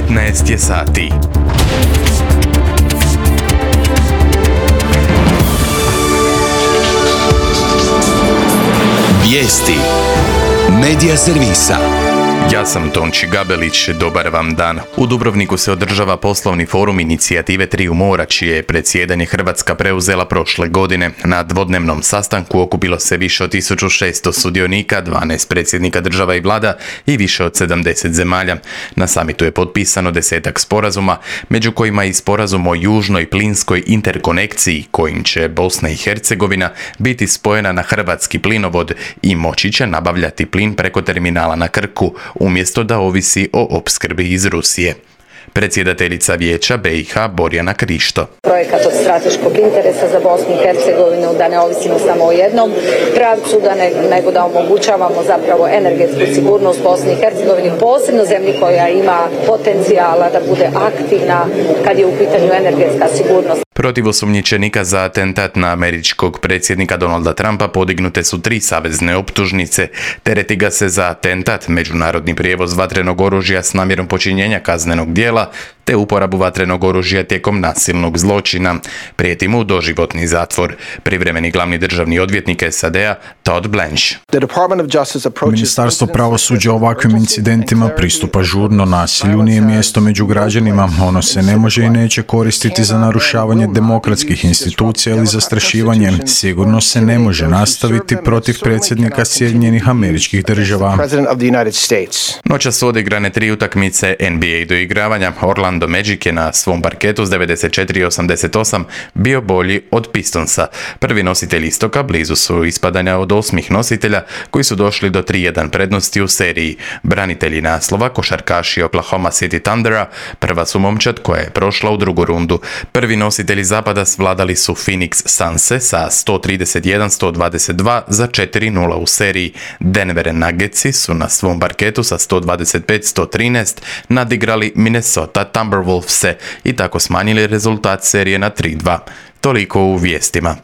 15 je sati. Vijesti Medija servisa. Ja sam Tonči Gabelić, dobar vam dan. U Dubrovniku se održava poslovni forum inicijative Triju mora, čije je predsjedanje Hrvatska preuzela prošle godine. Na dvodnevnom sastanku okupilo se više od 1600 sudionika, 12 predsjednika država i vlada i više od 70 zemalja. Na samitu je potpisano 10-ak sporazuma, među kojima i sporazum o južnoj plinskoj interkonekciji, kojim će Bosna i Hercegovina biti spojena na hrvatski plinovod i moći će nabavljati plin preko terminala na Krku, umjesto da ovisi o opskrbi iz Rusije. Predsjedateljica Vijeća BiH Borjana Krišto. Projekat od strateškog interesa za Bosnu i Hercegovinu, da ne ovisimo samo o jednom pravcu, nego da omogućavamo zapravo energetsku sigurnost Bosni i Hercegovini, posebno zemlji koja ima potencijala da bude aktivna kad je u pitanju energetska sigurnost. Protiv osumnjičenika za atentat na američkog predsjednika Donalda Trumpa podignute su 3 savezne optužnice. Tereti ga se za atentat, međunarodni prijevoz vatrenog oružja s namjerom počinjenja kaznenog djela, te uporabu vatrenog oružja tijekom nasilnog zločina. Prijeti mu doživotni zatvor. Privremeni glavni državni odvjetnik SAD-a Todd Blanche. Ministarstvo pravosuđa ovakvim incidentima pristupa žurno. Nasilju nije mjesto među građanima. Ono se ne može i neće koristiti za narušavanje demokratskih institucija ili zastrašivanje. Sigurno se ne može nastaviti protiv predsjednika Sjedinjenih Američkih Država. Noćas su odigrane 3 utakmice NBA doigravanja. Orlando Magic je na svom parketu s 94-88 bio bolji od Pistonsa. Prvi nositelji istoka blizu su ispadanja od 8 nositelja koji su došli do 3-1 prednosti u seriji. Branitelji naslova, košarkaši Oklahoma City Thundera, prva su momčad koja je prošla u drugu rundu. Prvi nositelji zapada svladali su Phoenix Sunse sa 131-122 za 4-0 u seriji. Denver Nuggetsi su na svom parketu sa 125-113 nadigrali Minnesota Timberwolvese i tako smanjili rezultat serije na 3-2. Toliko u vijestima.